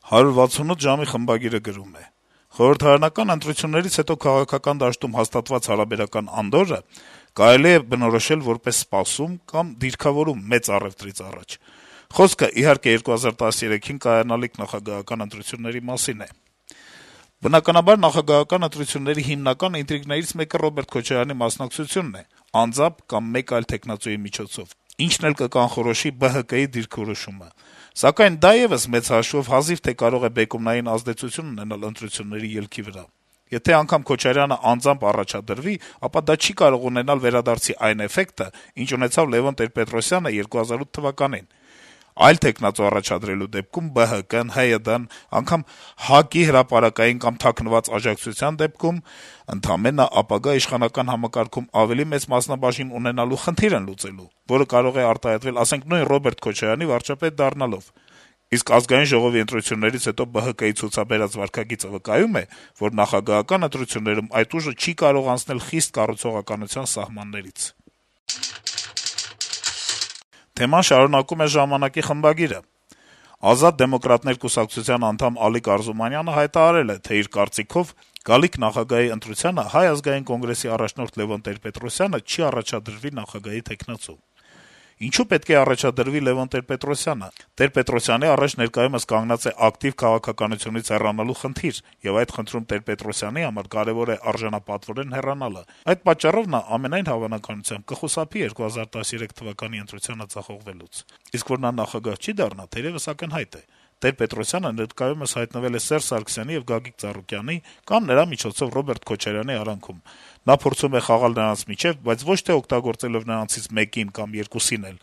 168 ժամի խմբագիրը գրում է. - «Խորհրդարանական ընտրություններից հետո քաղաքական դաշտում հաստատված հարաբերական անդորրը կարելի է բնորոշել որպես սպասում կամ դիրքավորում մեծ առեւտրից առաջ: Խոսքը, իհարկե, 2013-ին կայանալիք նախագահական ընտրությունների մասին է: Բնականաբար, նախագահական ընտրությունների հիմնական ինտրիգներից մեկը Ռոբերտ Քոչարյանի մասնակցությունն է, անձամբ կամ մեկ այլ թեկնածուի միջոցով, ինչն էլ կկանխորոշի ԲՀԿ-ի դիրքորոշումը: Սակայն դա եւս մեծ հաշվով հազիվ թե կարող է բեկումնային ազդեցություն ունենալ ընտրությունների ելքի վրա: Եթե անգամ Քոչարյանը անձամբ առաջադրվի, ապա դա չի կարող ունենալ վերադարձի այն էֆեկտը, ինչ ունեցավ Լեւոն Տեր-Պետրոսյանը 2008 թվականին: Այլ թեկնածու առաջադրելու դեպքում ԲՀԿ-ն, ՀՅԴ-ն, անգամ ՀԱԿ-ի հրապարակային կամ թաքնված աջակցության դեպքում ընդամենը ապագա իշխանական համակարգում ավելի մեծ մասնաբաժին ունենալու խնդիր են լուծելու, որը կարող է արտահայտվել, ասենք, նույն Ռոբերտ Քոչարյանի վարչապետ դառնալով: Իսկ Ազգային ժողովի ընտրություններից հետո ԲՀԿ-ի ցուցաբերած վարքագիծը վկայում է, որ նախագահական ընտրություններում այդ ուժը չի կարող անցնել խիստ կառուցողականության սահմաններից»: Թեման շարունակում է «Ժամանակ»-ի խմբագիրը. - «Ազատ դեմոկրատներ» կուսակցության անդամ Ալիկ Արզումանյանը հայտարարել է, թե իր կարծիքով գալիք նախագահի ընտրությանը Հայ ազգային կոնգրեսի առաջնորդ Լեւոն Տեր-Պետրոսյանը չի առաջադրվի նախագահի թեկնածու: Ինչո՞ւ պետք է առաջադրվի Լեւոն Տեր-Պետրոսյանը: Տեր-Պետրոսյանի առաջ ներկայումս կանգնած է ակտիվ քաղաքականությունից հեռանալու խնդիր, եւ այդ խնդրում Տեր-Պետրոսյանի համար կարեւոր է արժանապատվորեն հեռանալը: Այդ պատճառով նա ամենայն հավանականությամբ կխուսափի 2013 թվականի ընտրությանը ձախողվելուց: Իսկ որ նա նախագահ չի դառնա, թերեւս ակնհայտ է: Տեր-Պետրոսյանը ներկայումս հայտնվել է Սերժ Սարգսյանի եւ Գագիկ Ծառուկյանի կամ նրա միջոցով Ռոբերտ Քոչարյանի արանքում: Նա փորձում է խաղալ նրանց միջեւ, բայց ոչ թե օգտագործելով նրանցից մեկին կամ երկուսին էլ,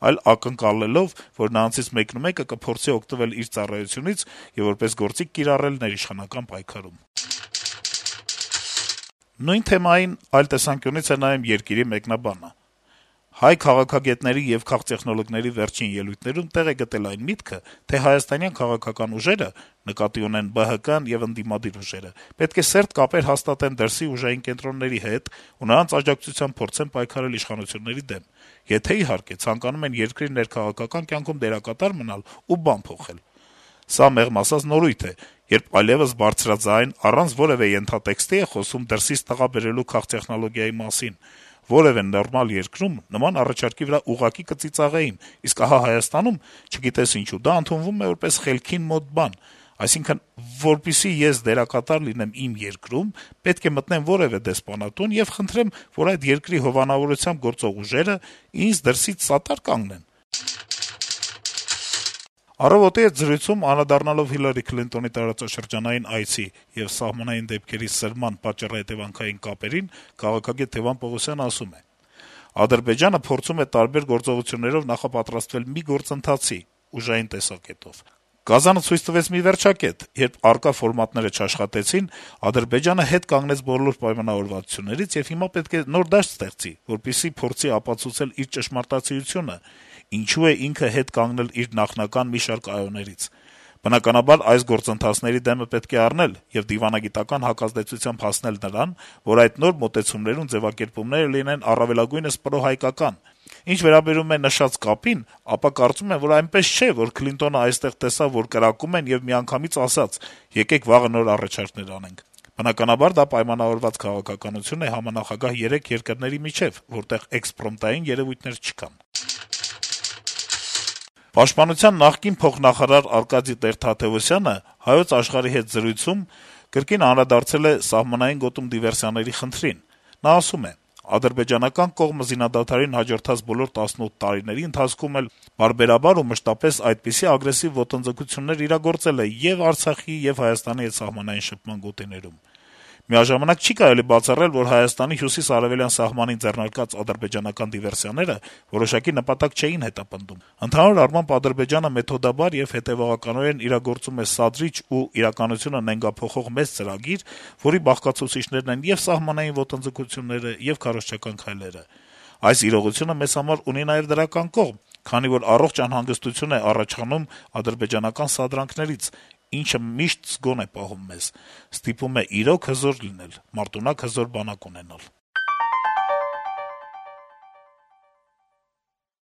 այլ ակնկալելով, որ նրանցից մեկն ու մեկը կփորձի օգտվել իր ծառայությունից եւ որպես գործիք կիրառել ներիշխանական պայքարում»: Նույն թեմային այլ տեսանկյունից է նայում «Երկիր»-ի մեկնաբանը. - «Հայ քաղաքագետների եւ քաղտեխնոլոգների վերջին ելույթներում տեղ է գտել այն միտքը, թե հայաստանյան քաղաքական ուժերը, նկատի ունեն ԲՀԿ-ն եւ ընդդիմադիր ուժերը, պետք է սերտ կապեր հաստատեն դրսի ուժային կենտրոնների հետ ու նրանց աջակցությամբ փորձեն պայքարել իշխանությունների դեմ, եթե, իհարկե, ցանկանում են երկրի ներքաղաքական կյանքում դերակատար մնալ ու բան փոխել: Սա, մեղմ ասած, նորույթ է, երբ այլեւս բարձրաձայն, առանց որեւէ ենթատեքստի է խոսում դրսից տղա բերելու քաղտեխնոլոգիայի մասին: Որեւէ նորմալ երկրում նման առաջարկի վրա ուղղակի կծիծաղեին, իսկ ահա Հայաստանում, չգիտես ինչու, դա ընդունվում է որպես խելքին մոտ բան: Այսինքն, որպեսզի ես դերակատար լինեմ իմ երկրում, պետք է մտնեմ որեւէ դեսպանատուն եւ խնդրեմ, որ այդ երկրի հովանավորությամբ գործող ուժերը ինձ դրսից սատար կանգնեն»: «Առավոտ»-ի հետ զրույցում, անդրադառնալով Հիլարի Քլինտոնի տարածաշրջանային այցի եւ սահմանային դեպքերի սրման պատճառահետեւանքային կապերին, քաղաքագետ Թեւան Պողոսյանը ասում է. - «Ադրբեջանը փորձում է տարբեր գործողություններով նախապատրաստվել մի գործընթացի` ուժային տեսակետով: Կազանը ցույց տվեց մի վերջակետ. երբ առկա ֆորմատները չաշխատեցին, Ադրբեջանը հետ կանգնեց բոլոր պայմանավորվածություններից եւ հիմա պետք է նոր դաշտ ստեղծի, որպեսզի փորձի ապացուցել իր ճշմարտացիությունը, ինչու է ինքը հետ կանգնել իր նախնական մի շարք այոներից: Բնականաբար, այս գործընթացների դեմը պետք է առնել եւ դիվանագիտական հակազդեցությամբ հասնել նրան, որ այդ նոր մոտեցումներում ձեւակերպումները լինեն առավելագույնս պրոհայկական: Ինչ վերաբերում է նշած կապին, ապա կարծում եմ, որ այնպես չէ, որ Քլինտոնը այստեղ տեսավ, որ կրակում են եւ միանգամից ասաց` եկեք վաղը նոր առաջարկներ անենք: Բնականաբար, դա պայմանավորված քաղաքականություն է համանախագահ երեք երկրների միջեւ, որտեղ էքսպրոմտային երեւույթներ չկան»: Պաշտպանության նախկին փոխնախարար Արկադի Տեր-Թադեւոսյանը «Հայոց Աշխարհ»-ի հետ զրույցում կրկին անդրադարձել է սահմանային գոտում դիվերսիաների խնդրին: Նա ասում է. - «Ադրբեջանական կողմը զինադադարին հաջորդած բոլոր 18 տարիների ընթացքում էլ պարբերաբար ու մշտապես այդպիսի ագրեսիվ ոտնձգություններ իրագործել է ե՛ւ Արցախի, ե՛ւ Հայաստանի հետ սահմանային շփման գոտիներում: Միաժամանակ չի կարելի բացառել, որ Հայաստանի հյուսիս-արեւելյան սահմանին ձեռնարկած ադրբեջանական դիվերսիաները որոշակի նպատակ չէին հետապնդում: Ընդհանուր առմամբ, Ադրբեջանը մեթոդաբար եւ հետեւողականորեն իրագործում է սադրիչ ու իրականությունը նենգափոխող մեծ ծրագիր, որի բաղկացուցիչներն են ե՛ւ սահմանային ոտնձգությունները, ե՛ւ քարոզչական քայլերը: Այս իրողությունը մեզ համար ունի նաեւ դրական կողմ, քանի որ առողջ անհանգստություն է առաջանում ադրբեջանական սադրանքներից, ինչը միշտ զգոն է պահում մեզ, ստիպում է իրոք հզոր լինել, մարտունակ հզոր բանակ ունենալ»: